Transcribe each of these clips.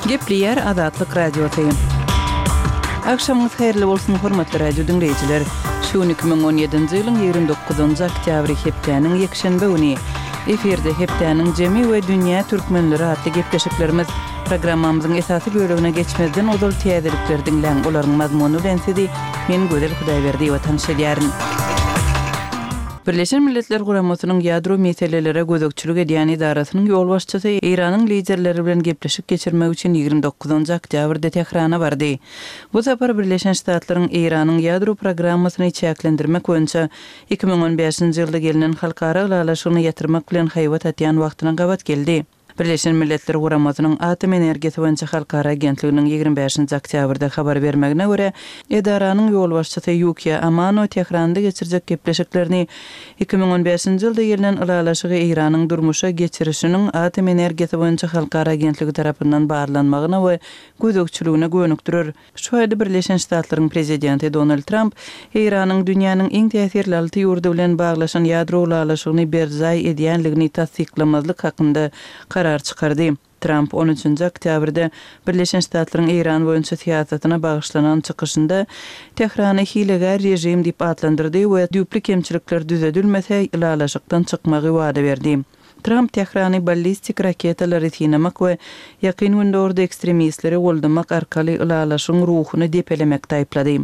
Gepleýär Azatlyk Radiosy. Agşamyňyz haýyrly bolsun, hormatly radio diňleýjiler! Şu gün 2017-nji ýylyň 29-njy oktýabry hepdäniň ýekşenbe güni. Efirde hepdäniň jemi we Dünýä türkmenleri atly gepleşiklerimiz. Programmamyzyň esasy bölegine geçmezden ozal täzelikleri diňläň, olaryň mazmuny bilen sizi men Gözel Hudaýberdiýewa tanyş edýärin. Birleşen Milletler Guramasynyň ýadro meselelere gözegçilik edýän edarasynyň ýolbaşçysy Eýranyň liderleri bilen gepleşik geçirmek üçin 29 oktýabrda Tährana bardy. Bu sapar Birleşen Ştatlaryň Eýranyň ýadro programmasyny çäklendirmek boýunça 2015-nji ýylda gelnen halkara ylalaşygyny ýatyrmak bilen haýbat atýan wagtyna gabat geldi. Birleşen Milletler Guramasynyň Atom energiýasy boýunça halkara agentliginiň 25-nji oktýabrda habar bermegine görä, edaranyň ýolbaşçysy Ýukiýa Amano Tähranda geçirjek gepleşiklerini 2015-nji ýylda gelnen ylalaşygy Eýranyň durmuşa geçirişiniň Atom energiýasy boýunça halkara agentligi tarapyndan barlanmagyna we gözegçiligine gönükdirer. Şu aýda Birleşen Ştatlaryň prezidenti Donald Tramp Eýranyň dünýäniň iň täsirli alty ýurdy bilen baglaşan ýadro ylalaşygyny berjaý edýänligini tassyklamazlyk hakynda karar çykardy. Tramp on üçünji oktýabrda Birleşen Ştatlaryň Eýran boýunça syýasatyna bagyşlanan çykyşynda Tährany hilegär režim diýip atlandyrdy we düýpli kemçilikler düzedilmese, ylalaşykdan çykmagy wada berdi. Tramp Tährany ballistik raketalary synamak we Ýakyn Gündogarda ekstremistleri goldamak arkaly ylalaşygyň ruhuny depelemekde aýyplady.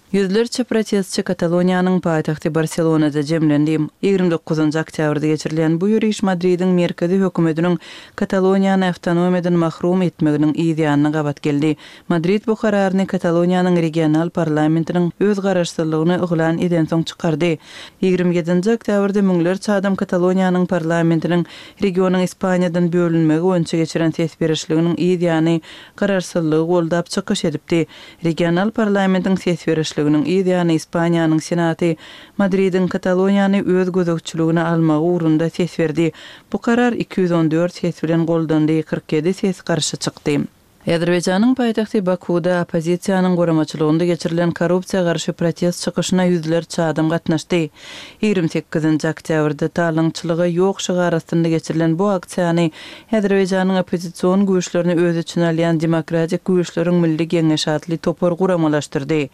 Ýüzlerçe protestçi Kataloniýanyň paýtagty Barselonada jemlendi. 29 oktýabrda geçirilen bu ýöriş Madridiň merkezi hökümetiniň Kataloniýany awtonomiýadan mahrum etmeginiň yz ýanyna gabat geldi. Madrid bu kararyny Kataloniýanyň regional parlamentiniň öz garaşsyzlygyny yglan edensoň çykardy. 27-nji oktýabrda müňlerçe adam Kataloniýanyň parlamentiniň regionyň Ispaniýadan bölünmegi boýunça geçiren ses berişliginiň yz ýany garaşsyzlygy goldap çykyş edipdi. Regional parlamentiň ses berişliginiň yz ýany Ispaniýanyň Senaty Madridiň Kataloniýany öz gözegçiligine almagy ugrunda ses berdi. Bu karar 214 ses bilen goldandy, 47 ses garşy çykdy. Azerbaýjanyň paýtagty Bakuwda oppozisiýanyň guramaçylygynda geçirilen korrupsiýa garşy protest çykyşyna ýüzlerçe adam gatnaşdy. 28-nji oktýabrda Talaňçylyga ýok şygary astynda geçirilen bu aksiýany Azerbaýjanyň oppozision güýçlerini öz içine alýan Demokratik güýçleriň milli geňeşi atly topar guramalaşdyrdy.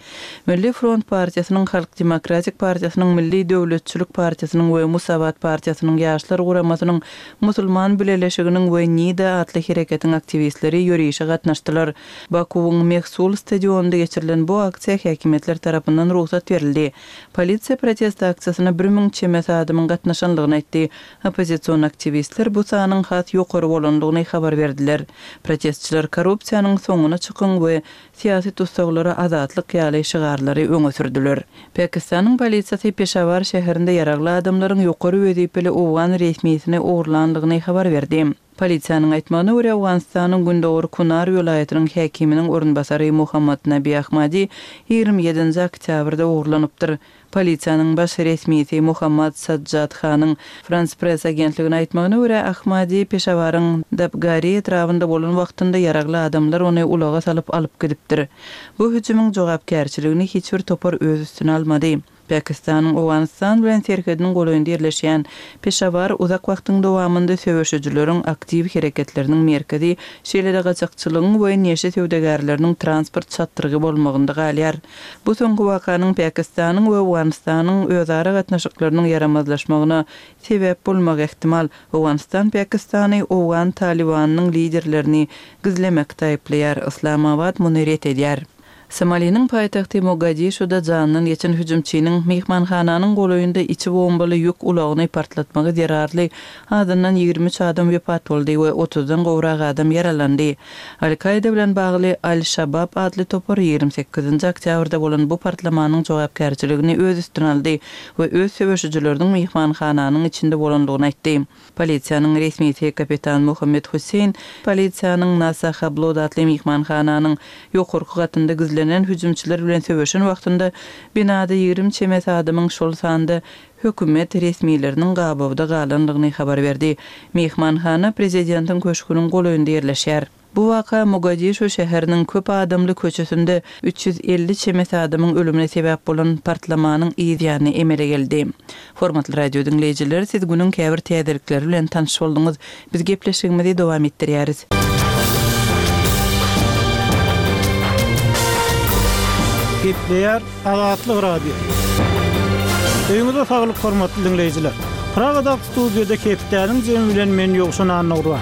Milli front partiýasynyň, Halk demokratik partiýasynyň, Milli döwletçilik partiýasynyň we Musawat partiýasynyň ýaşlar guramasynyň Musulman bileleşiginiň we Nida atly hereketiň aktiwistleri ýörişe gatnaşdylar. Bakuwyň Mehsul stadionynda geçirilen bu aksiýa häkimiýetler tarapyndan rugsat berildi. Polisiýa protest aksiýasyna 1000 çemesi adamyň gatnaşanlygyny aýtdy. Oppozision aktiwistler bu sanyň has ýokary bolandygyny habar berdiler. Protestçiler korrupsiýanyň soňuna çykyň we Syýasy tussaglara azatlyk ýaly şygarlary öňe sürdüler. Pakistanyň polisiýasy Peşawar şäherinde ýaragly adamlaryň ýokary wezipeli owgan resmisini ogurlandygyny habar berdi. Polisiýanyň aýtmagyna görä, Owganystanyň gündogar Kunar welaýatynyň häkiminiň orunbasary Muhammad Nabi Ahmadi 27-nji oktýabrda ogurlanypdyr. Polisiýanyň baş resmisi Muhammad Sajjad Hanyň Frans Press agentligine aýtmagyna görä, Ahmadi Peşawaryň Dabgari etrabynda bolan wagtynda ýaragly adamlar ony ulaga salyp alyp gidipdir. Bu hüjümiň jogapkärçiligini hiç bir topar öz üstüne almady. Pakistanyň Owganystan bilen serhediniň golaýynda ýerleşýän Peşawar uzak wagtyň dowamynda söweşijileriň aktiw hereketleriniň merkezi, şeýle-de gaçakçylygyň we neşe söwdagärleriniň transport çatrygy bolmagynda galýar. Bu soňky wakanyň Pakistanyň we Owganystanyň özara gatnaşyklarynyň ýaramazlaşmagyna sebäp bolmagy ähtimal. Owganystan Pakistany owgan Talybanynyň liderlerini gizlemekde aýyplaýar. Yslamabad muny ret edýär. Somaliniň paýtagty Mogadişuda janyndan geçen hüjümçiniň myhmanhananyň golaýynda içi bombaly ýük ulagyny partlatmagy zerarly azyndan 23 adam wepat boldy we otuzdan gowrak adam ýaralandy. Al-Kaýda bilen bagly Al-Şabab atly topar 28-nji oktýabrda bolan bu partlamanyň jogapkärçiligini öz üstüne aldy we öz söweşijileriniň myhmanhananyň içinde bolandygyny aýtdy. Polisiýanyň resmisi kapitan Muhammed Husseýn polisiýanyň Nasa Hablod atly myhmanhananyň ýokarky gatynda gizlenen hüjümçiler bilen söweşen wagtynda binada 20 çemesi adamyň şol sanda hökümet resmileriniň gabawda galandygyny habar berdi. Myhmanhana prezidentiň köşgüniň golaýynda ýerleşýär. Bu waka Mogadişu şäheriniň köp adamly köçesinde 350 çemesi adamyň ölümine sebäp bolan partlamanyň yz ýany emele geldi. Hormatly radio diňleýjiler, siz günüň käbir täzelikleri bilen tanyş bolduňyz. Biz gepleşigimizi dowam etdirýäris. Gepleýär Azatlyk Radiosy. Öýüňize saglyk hormatly diňleýjiler. Pragadaky studiýada hepdäniň jemi bilen men Ýowşan Annagurban.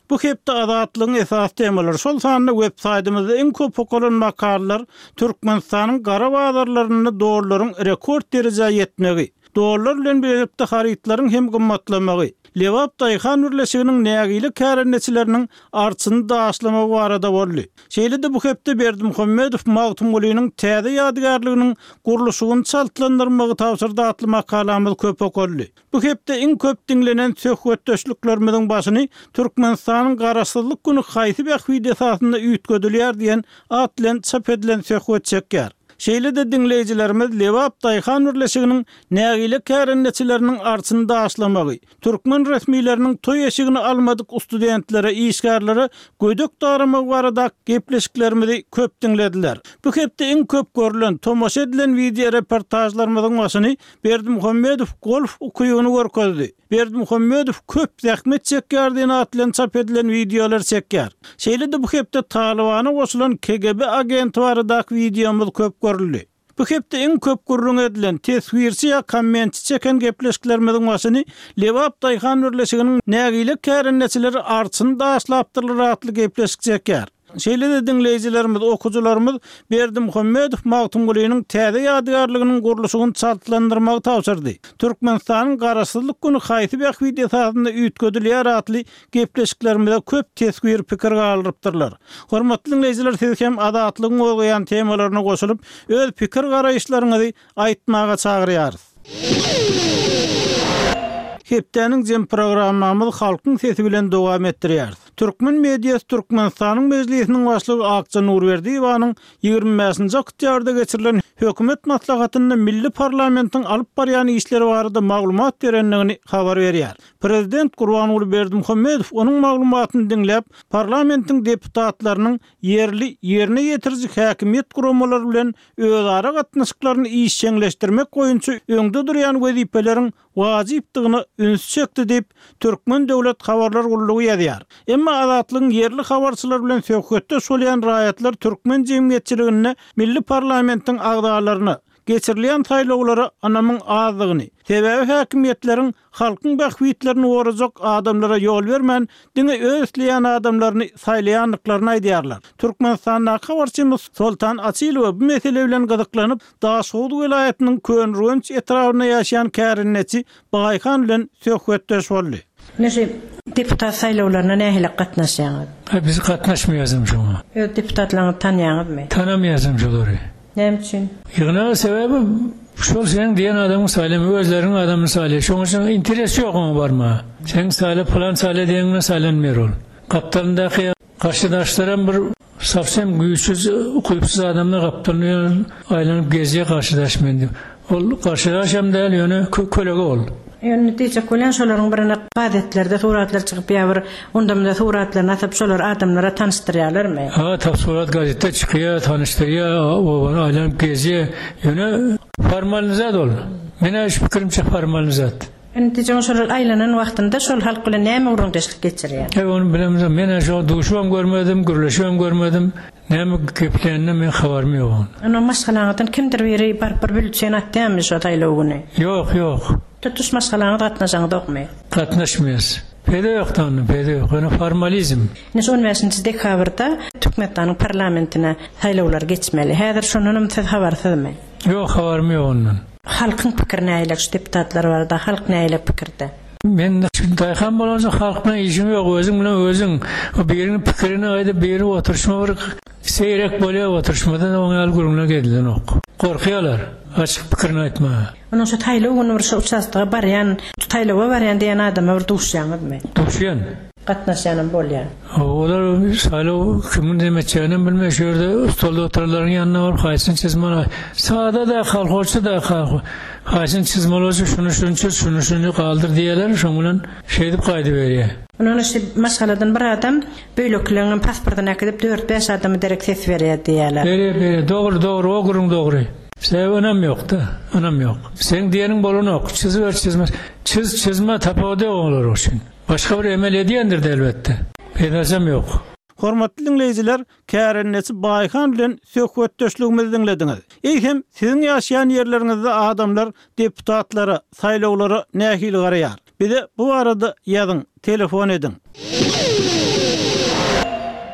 Bu hepde Azatlygyň esasy temalary, şol sanda web saýtymyzda iň köp okalan makalalar Türkmenistanyň gara bazarlarynda dollaryň rekord derejä ýetmegi, Dollar bilen bilelikde harytlaryň hem gymmatlamagy, Lebap daýhan birleşiginiň nägile kärendeçileriniň arçyny daşlamagy barada boldy. Şeýle-de bu hepde Berdimuhamedow Magtymgulynyň täze ýadygärliginiň gurluşygyny çaltlandyrmagy tabşyrdy atly makalamyz köp okaldy. Bu hepde iň köp diňlenen söhbetdeşliklerimiziň başyny Türkmenistanyň Garaşsyzlyk güni haýsy bähbit esasynda üýtgedilýär diýen at bilen çap edilen söhbet çekýär. Şeýle-de diňleýjilerimiz Lebap daýhan birleşiginiň nägile kärendeçileriniň arçyny daşlamagy, türkmen resmileriniň toý eşigini almadyk studentlere, işgärlere gödek daramagy barada gepleşiklerimizi köp diňlediler. Bu hepde iň köp görlen, tomaşa edilen wideoreportažlarymyzyň başyny Berdimuhamedow golf ukybyny görkezdi. Berdimuhamedow köp zähmet çekýär diýen at bilen çap edilen wideolar çekýär. Şeýle-de bu hepde Talybana goşulan KGB agenti baradaky wideomyz köp görüldi. Bu hepde iň köp gürrüň edilen, teswirçi ýa kommentçi çeken gepleşiklerimiziň başyny Lebap daýhan birleşiginiň nägile kärendeçileri arçyny daşlapdyrlar atly gepleşik çekýär. Şeýle-de diňleýjilerimiz, okyjylarymyz Berdimuhamedow Magtymgulynyň täze ýadygärliginiň gurluşygyny çaltlandyrmagy tabşyrdy. Türkmenistanyň Garaşsyzlyk güni haýsy bähbit esasynda üýtgedilýär atly gepleşiklerimize köp teswir, pikir galdyrypdyrlar. Hormatly diňleýjiler siz hem Azatlygyň gozgaýan temalaryna goşulyp, öz pikir-garaýyşlaryňyzy aýtmaga çagyrýarys. Hepdäniň jem programmamyzy Halkyň sesi bilen dowam etdirýäris. Türkmen mediasy Türkmenistanyň Mejlisiniň Başlygy Akja Nurberdiýewanyň 25-nji oktýabrda geçirilen Hökümet maslahatynda milli parlamentiň alyp barýan işleri barada maglumat berendigini habar berýär. Prezident Gurbanguly Berdimuhamedow onuň maglumatyny diňläp, parlamentiň deputatlarynyň ýerli ýerine ýetiriji häkimiýet guramalary bilen özara gatnaşyklaryny işjeňleşdirmek boýunça öňde durýan wezipeleriň wajypdygyna ünsi çekdi diýip, Türkmen döwlet habarlar gullugy ýazýar. Emma Azatlygyň ýerli habarçylary bilen söhbetdeş bolýan raýatlar türkmen jemgyýetçiliginde milli parlamentiň agzalaryna, geçirilýän saýlawlara ynamyň azdygyny, sebäbi häkimiýetleriň halkyň bähbitlerini gorajak adamlara ýol bermän, diňe öz isleýän adamlaryny saýlaýandyklaryny aýdýarlar. Türkmenistandaky habarçymyz Soltan Açylowa bu mesele bilen gyzyklanyp, Daşhowuz welaýatynyň Köneürgenç etrabynda ýaşaýan kärendeçi Baýhan bilen söhbetdeş boldy. Ine şu deputat saýlawlaryna nähili gatnaşýaňyz? Aý biz gatnaşmaýasam şoňa. Öz deputatlaryňyzy tanýaňyzmy? Tanamaýasam şolary. Näme üçin? Ýygnaga sebäbi şol seň diýen adamyň saýlama özleriniň adamyny saýlaýar. Şoň üçin interes ýok oňa barmaga. Seň saýla pylan saýla diýeniň bilen saýlanmaýar ol. Gapdalyndaky garşydaşlaram bir sowsem güýçsüz ukypsyz adamlar gapdalynda aýlanyp gezýär garşydaş men diýip. Ol garşydaşam däl ýöne kölege ol. Ýöne diýjek bolýan şolaryň birine gazetlerde suratlar çykyp ýa bir onda-munda suratlaryny asyp şolary adamlara tanyşdyrýarlarmy? Ha tap surat gazetde çykýa tanyşdyrýa obany aýlanyp gezýä ýöne formalny zat ol. Menä şu pikirimçe formalny zat. Indi diýjegim şolar aýlanan wagtynda şol halk bilen näme gürrüňdeşlik geçirýär? Eý ony bilemzok menä şo duşubam görmedim gürleşibem görmedim. Näme geplänine meň habarym ýok oň. Onda maşgalaňyzdan kimdir biri baryp bir bülten atýarmy şo saýlaw güni? Ýok, ýok. Tutuş maşgalaňyz gatnaşaňyzokmy? Gatnaşmaýas. Peýda ýok-da onda, peýda ýok. Ýöne formalizm. Ine şu on bäşinji dekabrda Türkmenistanyň parlamentine saýlawlar geçmeli. Häzir şondanam siz habarsyzmy? Ýok, habarym ýok ondan. Halkyň pikiri nähili şu deputatlar barada halk nähili pikirde? Men daýhan bolansoň halk bilen işim ýok, özüň bilen özüň. Biriniň pikirini aýdyp, biri oturyşma bir seýrek bolýar oturyşmada-da oň ýaly gürrüňler edilenok. Gorkýarlar açyk pikirini aýtmaga. Onuň şu saýlaw güni bir şu uçastoga barýan, saýlawa barýan diýen adama bir duşýaňyzmy? Duşýan. Gatnaşýanam bolýar. Olar saýlaw kimiň neme etjeginem bilmeýär, şu ýerde stolda oturanlaryň ýanyna baryp haýsyny çyzmaly, sada-da, kolhozçy-da, haýsyny çyzmaly bolsa şuny şuny çyz, şuny şuny galdyr diýýärler, şoň bilen şeýdip gaýdyberýär. Ondan şu maşgaladan bir adam beýlekileňem pasportyny äkidip dört-bäş adama derek ses berýär diýýärler. Berýär, berýär. Dogry, dogry, o gürrüň dogry. Sebäbi ynam ýok-da, ynam ýok. Seň diýeniň bolanok, çyzyber, çyzma, çyz, çyzma tapawudy ýok olar üçin. Başga bir emel edýändir-de elbetde. Peýdasam ýok. Hormatly diňleýjiler, kärendeçi Baýhan bilen söhbetdeşligimizi diňlediňiz. Eýsem, siziň ýaşaýan ýerleriňizde adamlar deputatlara, saýlawlara nähili garaýar? Bize bu barada ýazyň, telefon ediň.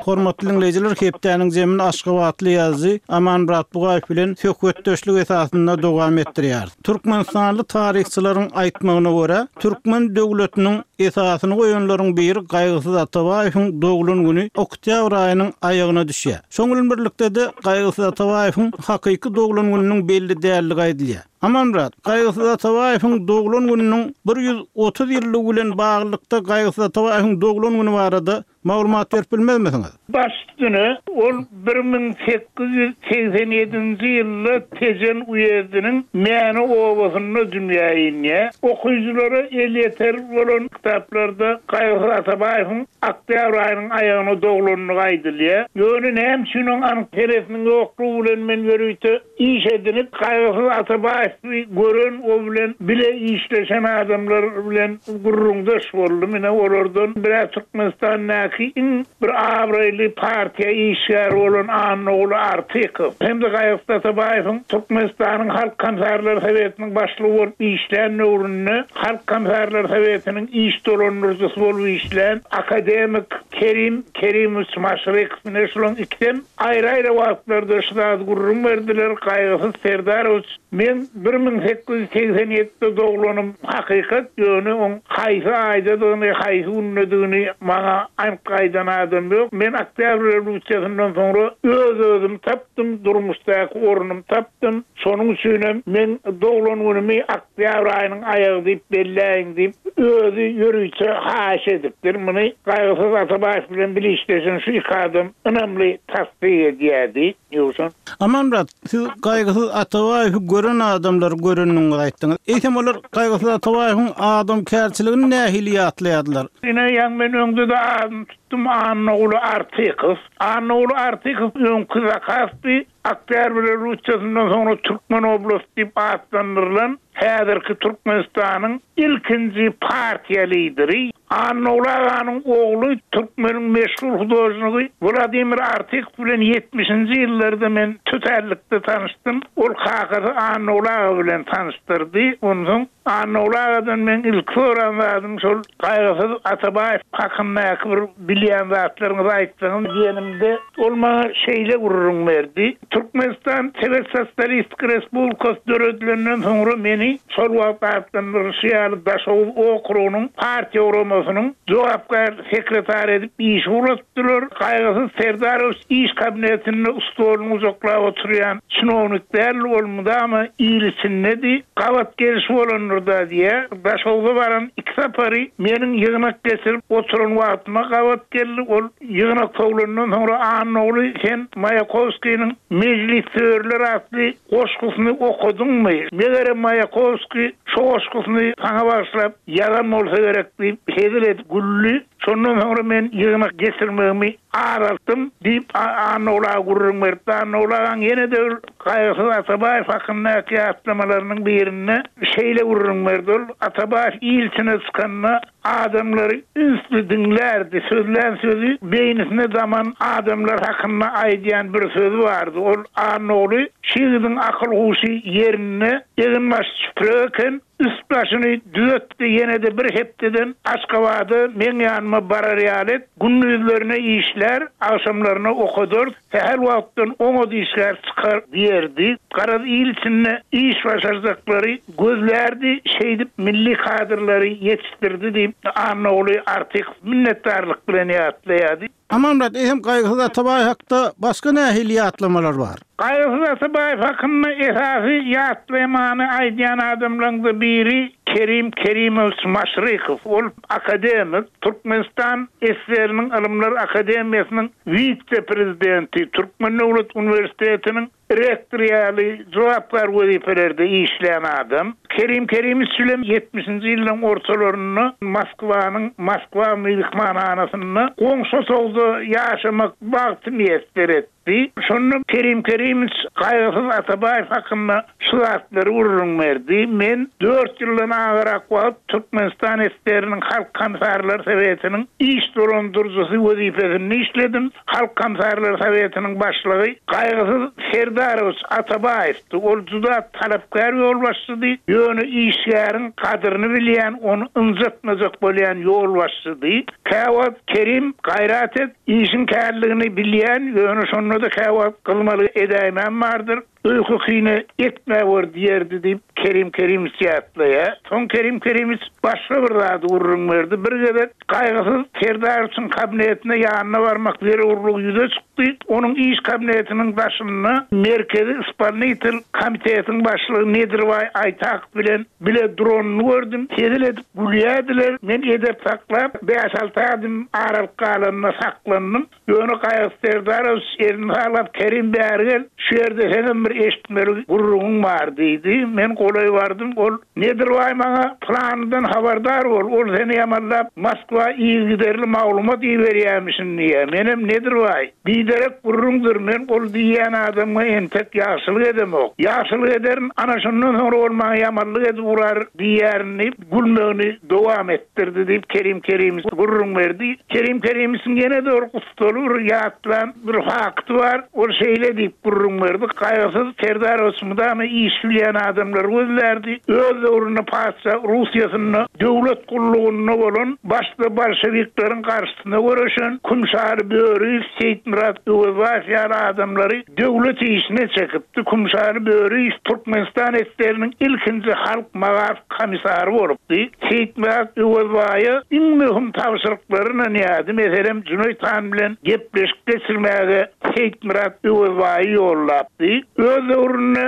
Hormatly diňleýjiler, hepdäniň jemini aşgabatly ýazyjy Amanmyrat Bugaýew bilen söhbetdeşlik esasynda dowam etdirýäris. Türkmenistanly taryhçylaryň aýtmagyna görä, türkmen döwletiniň esasyny goýanlaryň biri Gaýgysyz Atabaýewiň doglan güni oktýabr aýynyň aýagyna düşýär. Şoň bilen birlikde-de Gaýgysyz Atabaýewiň hakyky doglan gününiň belli däldigi aýdylýar. Amanmyrat, Gaýgysyz Atabaýewiň doglan gününiň 130 ýyllygy bilen baglylykda Gaýgysyz Atabaýewiň doglan güni barada maglumat berip bilmezmisiňiz? Baş üstüne, ol 1887-nji ýylda Tejen uýezdiniň Mäne obasynda dünýä inýär. Okyjylara elýeter bolan kitaplarda Gaýgysyz Atabaýewiň oktýabr aýynyň aýagyna doglandygy aýdylýar. Ýöne näme üçin oň anyk senesiniň ýoklugy bilen men ýörite Iş edinip, Gaýgysyz Atabaýewi gören, o bilen bile işleşen adamlar bilen gürrüňdeş boldum. Ine, olardan bir-ä Türkmenistandaky iň bir abraýly partiýa işgäri bolan Annaguly Artykow hem-de Gaýgysyz Atabaýewiň Türkmenistanyň Halk Komissarlar Sowetiniň başlygy bolup işlän döwründe Halk Komissarlar Sowetiniň iş dolandyryjysy bolup işlän akademik Kerim Kerimowiç Maşrykow, ine, şularyň ikisem Aýry-aýry wagtlarda şu zady gürrüň berdiler, Gaýgysyz Serdarowiç, meň 1887-de doglanym hakykat, ýöne oň haýsy aýdadygyny, haýsy gündedigini maňa anyk aýdan adam ýok. Men Oktýabr rewolýusiýasyndan soňra öz-özümi tapdym, durmuşdaky ornumy tapdym. Şonuň üçinem meň doglan günümi Oktýabr aýynyň aýagy diýip belläýiň diýip, özi ýörite haýyş edipdir. Muny Gaýgysyz Atabaýew bilen bile işleşen şu iki adam ynamly tassyk edýärdi. Ýowşan. Amanmyrat, siz Gaýgysyz Atabaýewi gören adamlary görendigiňizi aýtdyňyz. Eýsem olar Gaýgysyz Atabaýewiň adamkärçiligini nähili ýatlaýardylar? Ine, ýaňy men öňde-de adyny tutdum, Annaguly Artykow. Annaguly Artykow öňki Zakaspi Oktýabr rewolýusiýasyndan soňra Türkmen oblasty diýip atlandyrylan häzirki Türkmenistanyň ilkinji partiýa lideri Annaguly aganyň ogly türkmeniň meşhur hudožnigi Wladimir Artykow bilen ýetmişinji ýyllarda men tötänlikde tanyşdym. Ol kakasy Annaguly aga bilen tanyşdyrdy. Onsoň Annaguly agadan meň ilki soran zadym şol Gaýgysyz Atabaýew hakyndaky bir bilýän zatlaryňyzy aýtsaňyz diýenimde, ol maňa şeýle gürrüň berdi, Türkmenistan Sowet Sosialistik Respublikasy döredilenden soňra meni şol wagt atlandyrylyşy ýaly Daşoguz okrugynyň partiýa guramasynyň jogapkär sekretary edip işe ugratdylar. Gaýgysyz Serdarowiç iş kabinetinde stoluny gujaklap oturýan çinownik däldi, ol mydama il içindedi. Gabat geliş bolandyr-da diýýär. Daşogza baran iki sapary meniň ýygnak geçirip oturan wagtyma gabat geldi. Ol ýygnak sowlandan soňra Annaguly sen Maýakowskiniň Mejlissöýerler atly goşgusyny okadyňmy? Megerem Maýakowskiý şo goşgusyny saňa bagyşlap ýazan bolsa gerek diýip hezil edip güldi. Şondan soňra men ýygnak geçirmegimi azaltdym, diýip, Annaguly aga gürrüň beripdi. Annaguly agaň ýene-de bir Gaýgysyz Atabaýew hakyndaky ýatlamalarynyň birinde şeýle gürrüň berdi, Ol, Atabaýew il içine çykanda adamlary ünsli diňlärdi, sözlän sözi beýnisine daman adamlar hakynda aýdýan bir sözi bardy. Ol, Annaguly, şu ýigidiň akyl-huşy ýerinde, eginbaşy çüprek eken, Üst-başyny düzetdi, ýene-de bir hepdeden Aşgabada meň ýanyma barar ýaly et, gündizlerine işlär, agşamlaryna okadarys, sähel wagtdan oňat işgär çykar diýerdi. Garaz, il içinde iş başarjaklary gözlärdi, şeýdip milli kadrlary ýetişdirdi diýip, Annaguly Artykow minnetdarlyk bilen ýatlaýardy. Amanmyrat, eýsem Gaýgysyz Atabaýew hakda başga nähili ýatlamalar bar? Gaýgysyz Atabaýew hakynda esasy ýatlamany aýdýan adamlaryň-da biri Kerim Kerimowiç Maşrykow. Ol akademik, Türkmenistan SSR-niň Ylymlar akademiýasynyň wise-prezidenti, Türkmen döwlet uniwersitetiniň Rektor ýaly jogapkär wezipelerde işlän adam. Kerim Kerimowiç bilen ýetmişinji ýyllaryň ortalarynda Moskwanyň Moskwa myhmanhanasynda goňşy otagda ýaşamak bagty miýesser etdi. gitdi. Şonda Kerim Kerimowiç Gaýgysyz Atabaýew hakynda şu zatlary gürrüň berdi, Men dört ýyldan agarak wagt Türkmenistan SSR-niň Halk Komissarlar Sowetiniň iş dolandyryjysy wezipesinde işledim. Halk Komissarlar Sowetiniň başlygy Gaýgysyz Serdarowiç Atabaýewdi. Ol juda talapkär ýolbaşçydy, ýöne işgäriň gadyryny bilýän, ony ynjatmajak bolýan ýolbaşçydy. Käwagt Kerim, gaýrat et, işiň kärligini bilýän, ýöne şonda-da käwagt gyzmalyk edäýmäm bardyr. Öýke-kine etmäwer diýerdi diýip, Kerim Kerimowiç ýatlaýar. Soň Kerim Kerimowiç başga bir zady gürrüň berdi. Bir gezek Gaýgysyz Serdarowiçiň kabinetine ýanyna barmak zerurlygy ýüze çykdy. Onuň iş kabinetiniň daşynda Merkezi ispolnitel komitetiň başlygy Nedirbaý Aýtakow bilen bile duranyny gördüm. Hezil edip gülýärdiler. Men edep saklap, bäş-alty adym aralyk galanda saklandym. Ýöne Gaýgysyz Serdarowiç elini saglap, Kerim bäri gel, şu ýerde seňem bir eşitmeli gürrüňiň bar diýdi. Men golaý bardym, ol, Nedirbaý maňa pylanydan habardar bol, ol seni ýamanlap Moskwa yzygiderli maglumat iberýämişin diýýär. Menem, Nedirbaý, biderek gürrüňdir, men ol diýýän adamyňa entek ýagşylyk edemok. Ýagşylyk ederin, ana şondan soňra ol maňa ýamanlyk edip urar diýýärin diýip, gülmegini dowam etdirdi diýip, Kerim Kerimowiç gürrüň berdi. Kerim Kerimowiçiň ýene-de bir gussaly bir ýatlan bir fakty bar. Ol şeýle diýip gürrüň berdi, Gaýgysyz Serdarowiç mydama iş bilýän adamlary gözlärdi. Öz döwründe patyşa Russiýasynda döwlet gullugynda bolan, başda bolşewikleriň garşysyna göreşen Kümşaly Böriýew, Seýitmyrat Öwezbaýew ýaly adamlary döwlet işine çekipdi. Kümşaly Böriýew Türkmenistan SSR-niň ilkinji halk magaryf komissary bolupdy. Seýitmyrat Öwezbaýa iň möhüm tabşyryklary ynanýardy, meselem, Jüneýt han bilen gepleşik geçirmäge Seýitmyrat Öwezbaýy ýollapdy. Öz döwründe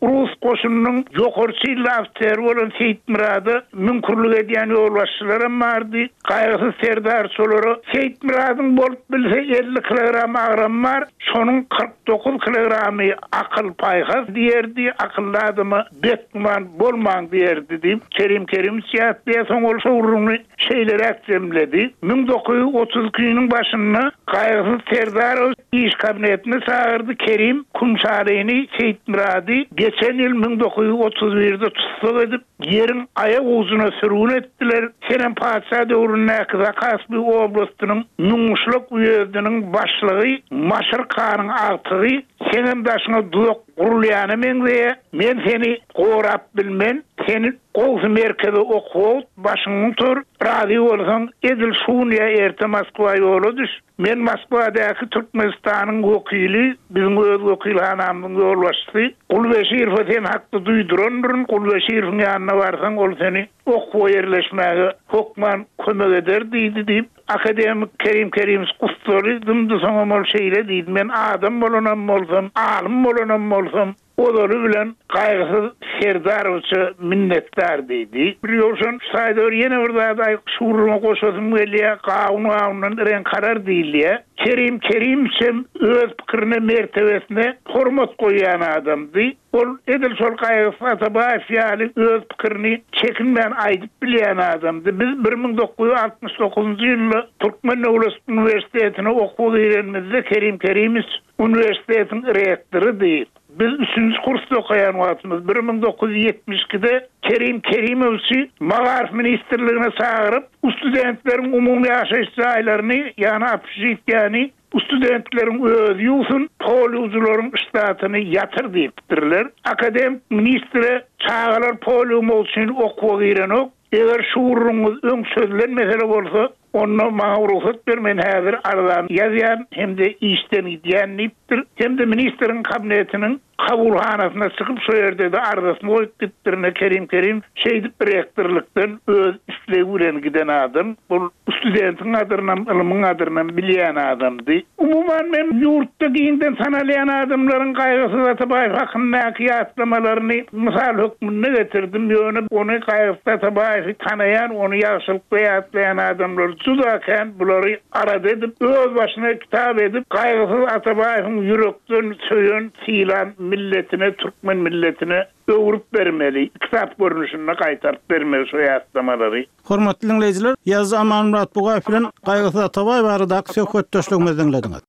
rus goşunynyň ýokary çinli ofiseri bolan Seýitmyrada müňkürlik edýän ýolbaşçylaram bardy. Gaýgysyz serdar şolara, Seýitmyradyň bolup bilse 50 kilogram agramy bar, şonuň 49 kilogramy akyl-paýhas diýerdi, akylly adama Betgüman bolmaň diýerdi diýip, Kerim Kerimowiç ýatlaýar. Soň ol şo gürrüňini şeýleräk jemledi, 1932-niň başynda Gaýgysyz Serdarowiç iş kabinetine çagyrdy, Kerim Kümşalyny, Seýitmyrady geçen ýyl 1931-de tussag edip, ýeriň aýak ujuna sürgün etdiler. Senem patyşa döwründäki Zakaspi oblastynyň Müňgyşlak uýezdiniň başlygy Maşyr hanyň agtygy, seňem daşyňa duzak Gurulýana meňzeýä, men seni gorap bilmen, seni gowsy merkeze okuwa başyňy gutar, razy bolsaň edil şu gün ýa erte Moskwa ýola düş, men Moskwadaky Türkmenistanyň wekili, biziň öz wekilhanamyzyň ýolbaşçysy Gulbeşirowa sen hakda duýdurandyryn, Gulbeşirowyň ýanyna barsaň ol seni okuwa ýerleşmäge hökman kömek eder diýdi diýip, Akademik Kerim Kerimowiç gussaly dymdy, soňam ol şeýle diýdi, Men adam bolanam bolsam, alym bolanam bolsam, ozaly bilen Gaýgysyz Serdarowiçe minnetdar diýdi. Bir Ýowşan, şu taýda bir ýene bir zady aýyp, şu gürrüňe goşasym gelýär, Gawun gawundan reňk alar diýilýär. Kerim Kerimowiçem öz pikirine, mertebesine hormat goýýan adamdy. Ol edil şol Gaýgysyz Atabaýew ýaly öz pikirini çekinmän aýdyp bilýän adamdy. Biz 1969-njy ýylda Türkmen döwlet uniwersitetine okuwa girenimizde Kerim Kerimowiç uniwersitetiň rektorydy. Biz üçünji kursda okaýan wagtymyz, 1972-de Kerim Kerimowiçi Magaryf ministrligine çagyryp, studentleriň umumy ýaşaýyş jaýlaryny, ýagny obşežitiýäni Studentleriň özi ýuwsun, pol ýuwujylaryň ştatyny ýatyr diýipdirler. Akademik ministre çagalar pol ýuwmak üçin okuwa girenok, eger şu gürrüňiňiz öň çözülen mesele bolsa, onda maňa rugsat ber, men häzir arzany ýazýan hem-de işden gidýän diýipdir. Hem-de ministriň kabinetiniň Kabulhanasyna çykyp şo ýerde-de arzasyny goýup gitdirine Kerim Kerim şeýdip rektorlykdan öz islegi bilen giden adam. Ol studentiň gadyrynam, ylmyň gadyrynam bilýän adamdy. Umuman men ýurtda giňden tanalýan adamlaryň Gaýgysyz Atabaýew hakyndaky ýatlamalaryny mysal hökmünde getirdim. Ýöne ony Gaýgysyz Atabaýewi tanaýan, ony ýagşylykda ýatlaýan adamlar juda kän. Bulary Arada edip, öz başyna kitap edip, Gaýgysyz Atabaýewiň ýürekden söýen, sylan milletine, türkmen milletine öwrüp bermeli, kitap görnüşinde gaýtaryp bermeli şo ýatlamalary. Hormatly diňleýjiler, ýazyjy Amanmyrat Bugaýew bilen Gaýgysyz Atabaýew baradaky söhbetdeşligimizi diňlediňiz.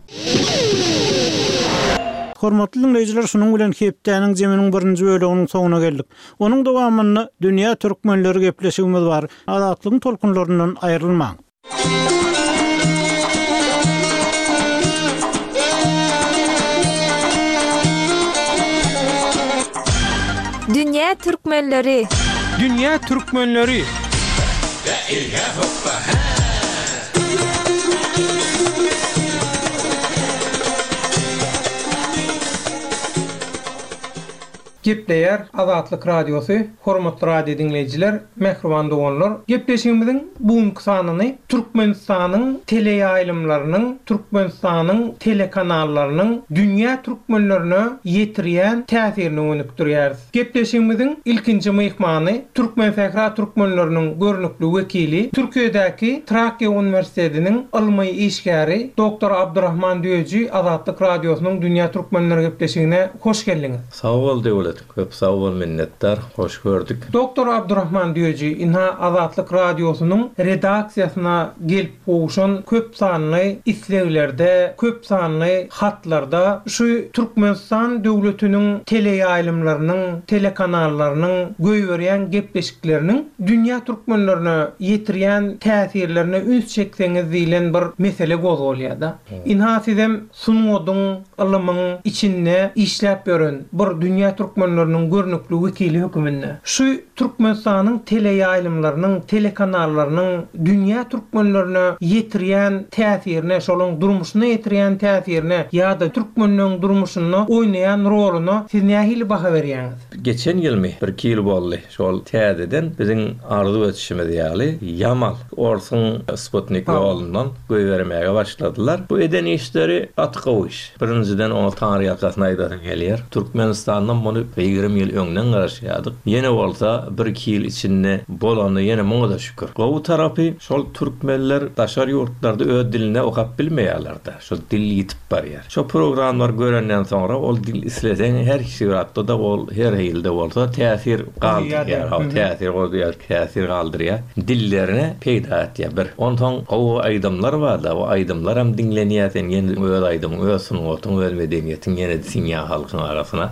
Hormatly diňleýjiler şunuň bilen hepdäniň jeminiň birinji böleginiň soňuna geldik. Onuň dowamynda Dünýä türkmenleri gepleşigimiz bar. Azatlygyň tolkunlaryndan aýrylmaň. Dünýä türkmenleri! Dünýä türkmenleri! Gepleýär Azatlyk Radiosy, Hormatly radio diňleýjiler, mähriban doganlar! Gepleşigimiziň bu günki sanyny Türkmenistanyň teleýaýlymlarynyň, Türkmenistanyň telekanallarynyň dünýä türkmenlerine ýetirýän täsirine gönükdirýäris. Gepleşigimiziň ilkinji myhmany Türkmensähra türkmenleriniň görnükli wekili, Türkiýedäki Trakýa uniwersitetiniň ylmy işgäri doktor Abdurahman Düýeji Azatlyk Radiosynyň Dünýä türkmenleri gepleşigine hoş geldiňiz. Sag bol Döwlet, köp sag bol minnetdar, hoş gördük. Doktor Abdurahman Düýeji ynha Azatlyk Radiosynyň redaksiýasyna gelip gowşan köp sanly isleglerde, köp sanly hatlarda şu Türkmenistan döwletiniň teleýaýlymlarynyň, telekanallarynyň goýberýän gepleşikleriniň dünýä türkmenlerine ýetirýän täsirlerine üns çekseňiz diýlen bir mesele gozgalýar-da. Ynha sizem sungatyň, ylymyň içinde işläp ýören bir dünýä türkmenleriniň görnükli wekili höküminde şu Türkmenistanyň teleýaýlymlarynyň, telekanallarynyň dünýä türkmenlerine ýetirýän täsirine, şolaryň durmuşyna ýetirýän täsirine ýa-da türkmenleň durmuşynda oýnaýan roluna siz nähili baha berýäňiz? Geçen ýylmy, birki ýyl boldy, şol täzeden biziň arzuw etişimiz ýaly Ýamal orsuň sputnik ýolundan goýbermäge başladylar. Bu eden işleri gaty gowy iş. Birinjiden oňa taňryýalkasyn aýdasym gelýär. Türkmenistandan muny 20 ýyl öňden garaşýardyk. Ýene bolsa bir-iki ýyl içinde bolany ýene muňa-da şükür. Gowy tarapy şol türkmenler daşary ýurtlarda öz dilinde okap bilmeýärler-de. Şol dil ýitip barýar. Şo programlary görenden soňra ol dil isleseň her suratda-da ol her hilde bolsa täsir galdyrýar. Hawa täsir goýýar. Täsir galdyrýar. Dillerine peýda etýär bir. Onsoň gowy aýdymlar barda, o aýdymlaram diňlenýär, sen ýene öz aýdymyň, öz sungatyň, öz medeniýetiň ýene siňýär halkyň arasyna.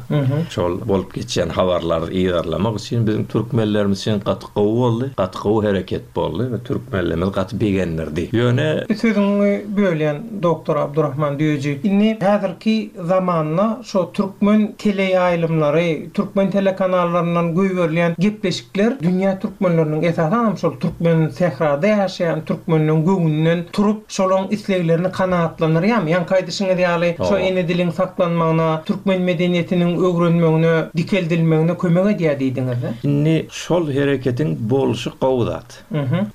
Şol bolup geçýän habarlary yzarlamak üçin biziň türkmenlerimiz üçin gaty gowy boldy, gaty gowy hereket boldy we türkmenlerimizi gaty begendirdi. Ýöne. Sözüňi bölýän doktor Abdurahman Düýeji. Indi häzirki zamanda şo türkmen teleýaýlymlary, türkmen telekanallaryndan goýberilýän gepleşikler dünýä türkmenleriniň, esasanam şol türkmen sährada ýaşaýan türkmenleň göwnünden turup, şolaň isleglerini kanagatlandyrýarmy? Ýaňky aýdyşyňyz ýaly, şo ene diliň saklanmagyna, türkmen medeniýetiniň öwrenmegine, dikeldilmegine kömek edýär diýdiňiz-dä? Indi şol hereketiň bolşy gowy zat.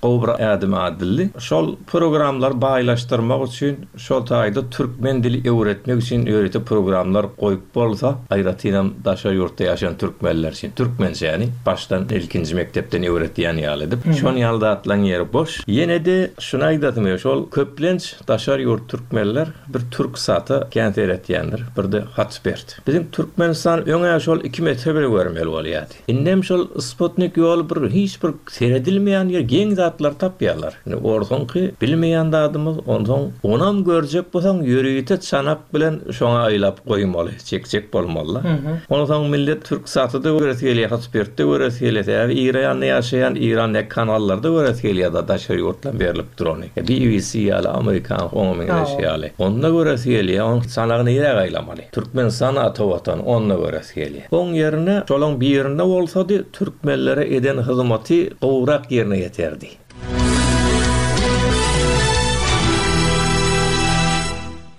Gowy bir ädim adildi. Şol programlary baýlaşdyrmak üçin şol taýda türkmen dili öwretmek üçin ýörite programlar goýup bolsa, aýratynam daşary ýurtda ýaşaýan türkmenler üçin türkmençäni başdan ilkinji mekdepden öwretýän ýaly edip, şon ýaly zatlaryň ýeri boş. Ýene-de şuny aýdasym gelýär, şol köplenç daşary ýurt türkmenler bir Türksata kän seretýändir, bir-de Hotbird. Biziň Türkmenistan öň-ä şol iki metre bile görmeli bolýardy. Indem şol sputnik ýoly bir hiç bir seredilmeýän ýer geň zatlar tapýarlar. Indi orsuňky bilmeýän zadymyz onsoň onam görjek bolsaň ýörite çanak bilen şoňa aýlap goýmaly çekjek bolmalyda. Onsoň millet türksaty-da göresi gelýär hotspirtde göresi gelýär sebäbi Iranda ýaşaýan Irandäki kanallarda göresi gelýär daşary ýurtdan berlip durany. BBC ýaly amerikan oňa meňzeş ýaly. Onda göresi gelýär oň çanagy nirä aýlamaly. Türkmenistan ata watan onda göresi gelýär. Oň ýerine şolaň birinde bolsady türkmenlere eden hyzmaty gowurak ýerine ýeterdi.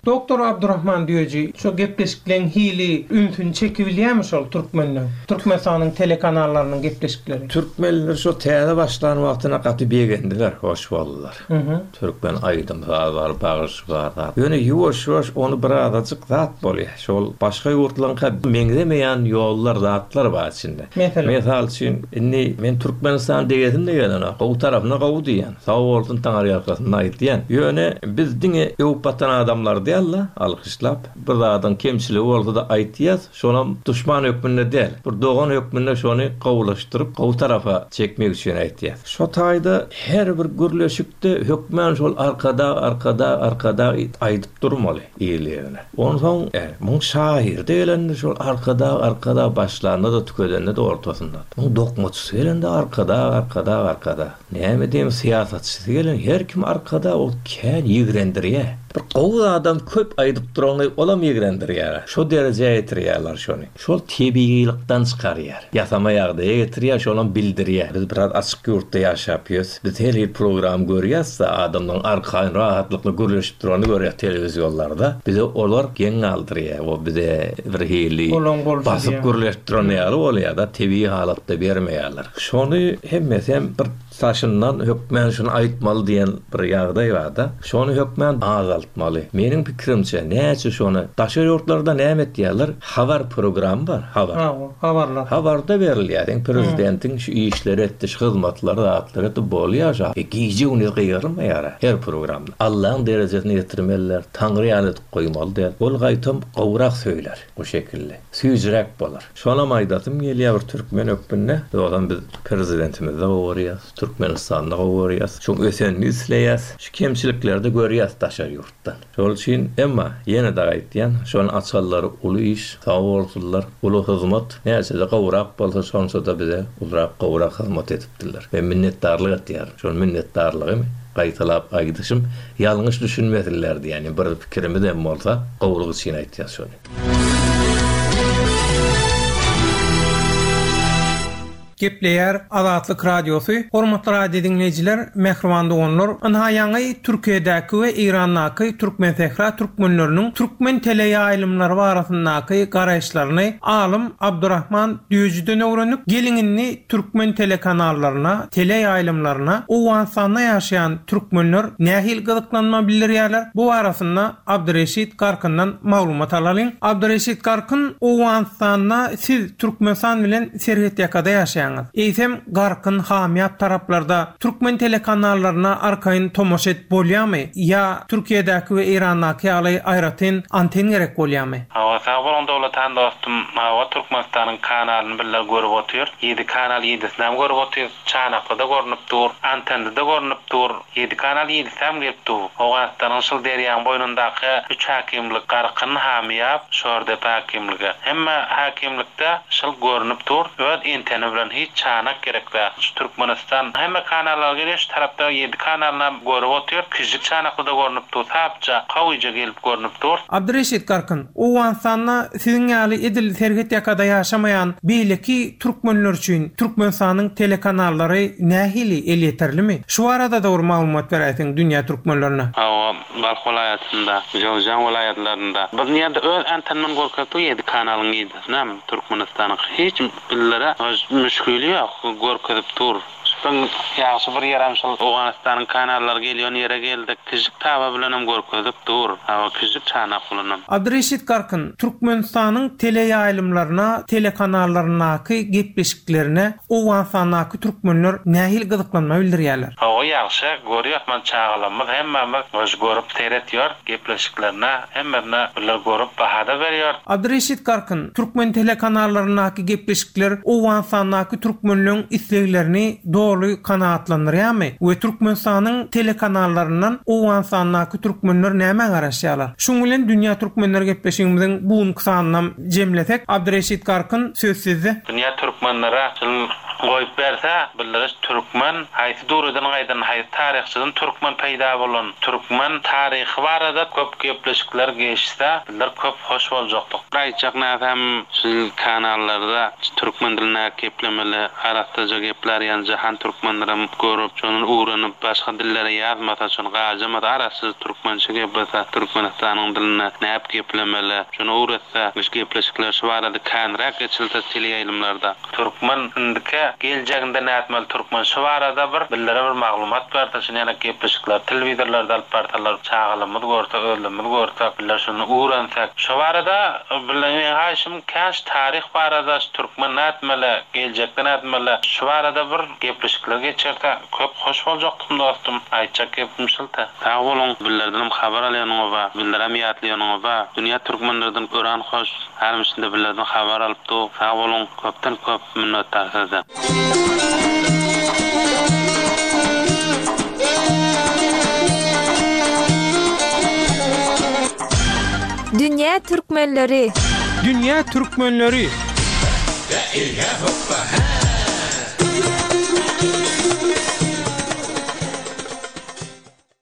Doktor Abdurahman Düýeji şo gepleşikleň hili ünsüni çekibilýämi şol türkmenleň? Türkmenistanyň telekanallarynyň gepleşikleri. Türkmenler şo täze başlan wagtyna gaty begendiler, hoş boldular. Türkmen aýdym saz bar, bagyş bar zat. Ýöne ýuwaş-ýuwaş ony birazajyk zat bolýar. Şol başga ýurtlaryňka meňzemeýän ýollar, zatlar bar içinde. Meselem? Mysal üçin, indi men Türkmenistan diýesim-de gelenok. Gowy tarapyna gowy diýýän. Sag bolsun Taňryýalkasyn aýtýan. Ýöne biz diňe öwüp batan adamlar däl. däl-de, alkyşlap. Bir zadyň kemçiligi bolsa-da aýtýas, şonam duşman hökmünde däl, bir dogan hökmünde şony gowulaşdyryp, gowy tarapa çekmek üçin aýtýas. Şo taýda her bir gürleşikde hökmän şol Arkadag, Arkadag, Arkadag aýdyp durmaly ýerli-ýerine. Onsoň, muň şahyry-da gelende şol Arkadag, Arkadag başlanda-da, tükedende-de ortasynda. Muň dokmaçysy gelende Arkadag, Arkadag, Arkadag. Näme diýim, syýasatçysy gelen her kim Arkadag ol kän ýigrendirýär. Bir gowy zadam köp aýdyp durany olam ýigrendirýär. Şo derejä ýetirýärler şony. Şol tebigylykdan çykarýar. Ýasama ýagdaýa getirýär, şonam bildirýär. Biz biraz açyk ýurtda ýaşap ýörüs. Biz her hili program görýäs-de, adamlaryň arkaýyn, rahatlykly gürleşip duranyny görýäs telewizionlarda. Bize olar geň galdyrýar. O bize bir hili basyp gürleşip duran ýaly bolýar-da, tebigy halatda bermeýärler. Şony hemmesem bir daşyndan hökmän şuny aýtmaly diýen bir ýagdaý barda, şony hökmän azaltmaly. Meniň pikirimçe, näçe şony daşary ýurtlarda näme etýärler, habar programy bar, habar. Hawa, habarlar. Habarda berilýär, seň prezidentiň şu işleri etdi, şu hyzmatlary, zatlary etdi, bolýar şo. E, gije-gündiz gygyrylmaýar-a her programda. Allaň derejesine ýetirmeliler, Taňry ýaly edip goýmaly däl. Ol gaýtam gowurak söýlär o şekilde. Süýjüräk bolar. Şonam aýdasym gelýär bir türkmen hökmünde, ýogsam biz Prezidentimizi-de gowy görýäs, Türkmenistany-da gowy görýäs, şoň ösenini isleýäs, şu kemçilikleri-de görýäs daşary ýurtdan. Şol üçin, emma, ýene-de aýtýan, şony açanlary uly iş, sag bolsunlar, uly hyzmat, näçe-de gowrak bolsa şonça-da bize ulurak, gowurak hyzmat edipdirler. Men minnetdarlyk etýärin. Şol minnetdarlygymy gaýtalap aýdyşym, ýalňyş düşünmesinler diýýän, bir pikirimizem bolsa, gowulyk üçin aýtýas şony. Gepleýär Azatlyk Radiosy, Hormatly radio diňleýjiler, mähriban doganlar, ynha ýaňy Türkiýedäki we Eýrandaky Türkmensähra türkmenleriniň türkmen teleýaýlymlary barasyndaky garaýyşlaryny alym Abdurahman Düýejiden öwrendik. Geliň indi türkmen telekanallaryna, teleýaýlymlaryna Owganystanda ýaşaýan türkmenler nähili gyzyklanma bildirýärler, bu barasynda Abdyreşit Garkyndan maglumat alalyň. Abdyreşit Garkyn, Owganystanda siz Türkmenistan bilen serhetýakada ýaşaýaňyz. Eýsem Garkyn, Hamyýap taraplarda türkmen telekanallaryna arkaýyn tomaşa edip bolýamy ýa Türkiýedäki we Eýrandaky ýaly aýratyn anten gerek bolýamy? Hawa sag boluň Döwletan dostum hawa Türkmenistanyň kanalyny bile görüp otyr ýedi kanal ýedisinäm görüp otyr Çanaklyda görnüp dur Antendide görnüp dur Ýedi kanal ýedisäm gelip dur. Owganystanyň şyl derýaň boýnundaky üç häkimlik Garkyn, Hamyýap, Şordepe häkimligi. Hemme häkimlikde şyl görnüp dur. Öz enteni bilen hiç çanak gerek däl. Şu Türkmenistan hemme kanallara gelýär şu tarapda ýedi kanalynam görüp otyr. Kiçijik çanaklyda görnüp dur. Sapja, gawyja gelip görnüp dur. Abdyreşit Garkyn, Owganystanda siziň ýaly edil serhet ýakada ýaşamaýan beýleki türkmenler üçin Türkmenistanyň telekanallary nähili elýeterlimi? Şu barada dogry maglumat beräýseň dünýä türkmenlerine. Hawa, Balh welaýatynda, Jöwzjan welaýatlarynda. Biz nirde öz antenmini görkezip ýedi kanalyň ýedisinem Türkmenistanyň hiç bizlere müşgili ýok görkezip dur. Şuň ýagşy bir ýerem şol Owganystanyň kanallary gelýän ýere geldik. Kižik taba bilenem görkezip dur. Hawa, kižik çanak bilenem. Abdyreşit Garkyn, Türkmenistanyň teleýaýlymlaryna, telekanallaryndaky gepleşiklerine Owganystandaky türkmenler nähili gyzyklanma bildirýärler? Hawa ýagşy görýäs men çagalarymyz hemmämiz goş görüp seretýär gepleşiklerine hemmesine birler görüp bahada berýär. Abdyreşit Garkyn, Türkmen telekanallaryndaky gepleşikler Owganystandaky türkmenleň isleglerini doly kanagatlandyrýarmy we Türkmenistanyň telekanallaryndan Owganystandaky türkmenler nämä garaşýarlar? Şuň bilen Dünýä Türkmenleri gepleşigimiziň bu günki sanynam jemlesek, Abdyreşit Garkyn, söz sizde. Dünýä türkmenlere şul goýup berse, bildiriş türkmen haýsy döwreden gaýdan, haýsy taryhçydan türkmen peýda bolan, türkmen taryhy barada köp gepleşikler geçse, bizler köp hoş boljakdyk. Bir aýtjak närsäm şul kanallarda türkmen dilinde geplemeli arassaja geplär ýaly jahan türkmenlerem görüp şony öwrenip başga dillere ýazmasa şony gajamasa arassaja türkmençe geplese türkmenistanyň dilinde näp geplemeli şony öwretse şu gepleşikler şu barada känräk geçilse teleýaýlymlarda. Türkmen indiki. nätmeli, geljeginde nätmeli türkmen şu barada bir bizlere bir maglumat berse şuny ýaly gepleşikler telewizorlarda alyp barsalar çagalarymyz görse özlerimiz görsek bizler şuny öwrensek şu barada bizler meň haýyşym käş taryh barada şu türkmen nätmeli geljekde nätmeli şu barada bir gepleşikler geçirse köp hoş boljakdym dostum aýtjak gepim şulta sag boluň bizlerdenem habar alýanyňyza bizlerem ýatlaýanyňyza dünýä türkmenlerden öran hoş Hanym şunda bizlerden habar alyp dur sag boluň köpden köp minnetdar sizden. Dünýä türkmenleri. Dünýä türkmenleri.